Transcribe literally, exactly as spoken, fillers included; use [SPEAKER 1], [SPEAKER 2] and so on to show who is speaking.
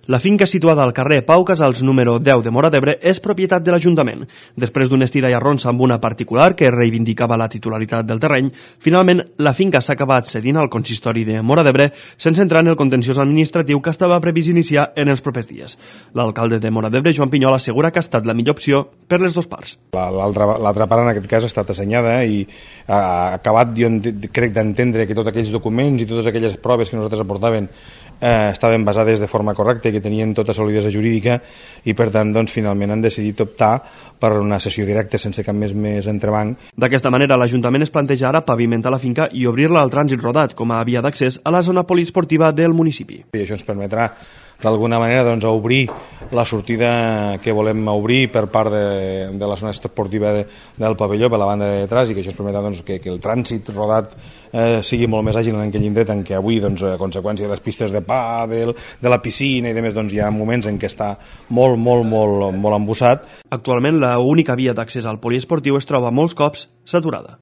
[SPEAKER 1] La finca situada al carrer Pau Casals número deu de Móra d'Ebre és propietat de l'Ajuntament. Després d'un estira i arronsa amb una particular que reivindicava la titularitat del terreny, finalment la finca s'ha acabat cedint al consistori de Móra d'Ebre sense entrar en el contenciós administratiu que estava previst iniciar en els propers dies. L'alcalde de Móra d'Ebre, Joan Pinyol, assegura que ha estat la millor opció per les dues parts.
[SPEAKER 2] L'altra part en aquest cas ha estat assenyada i ha acabat, jo crec, d'entendre que tots aquells documents i totes aquelles proves que nosaltres aportaven eh, estaven basades de forma correcta i que tenien tota solidesa jurídica i per tant doncs, finalment han decidit optar per una sessió directa sense cap més més entrebanc.
[SPEAKER 1] D'aquesta manera l'Ajuntament es planteja ara pavimentar la finca i obrir-la al trànsit rodat com a via d'accés a la zona poliesportiva del municipi.
[SPEAKER 2] I això ens permetrà d'alguna manera doncs, obrir la sortida que volem obrir per part de, de la zona esportiva de, del pavelló per la banda de detrás i que això ens permetrà doncs, que, que el trànsit rodat eh, sigui molt més àgil en aquell indret en què avui, doncs, a conseqüència de les pistes de pàdel, de la piscina i demés, doncs, hi ha moments en què està molt, molt, molt, molt embussat.
[SPEAKER 1] Actualment l'única via d'accés al poliesportiu es troba molts cops saturada.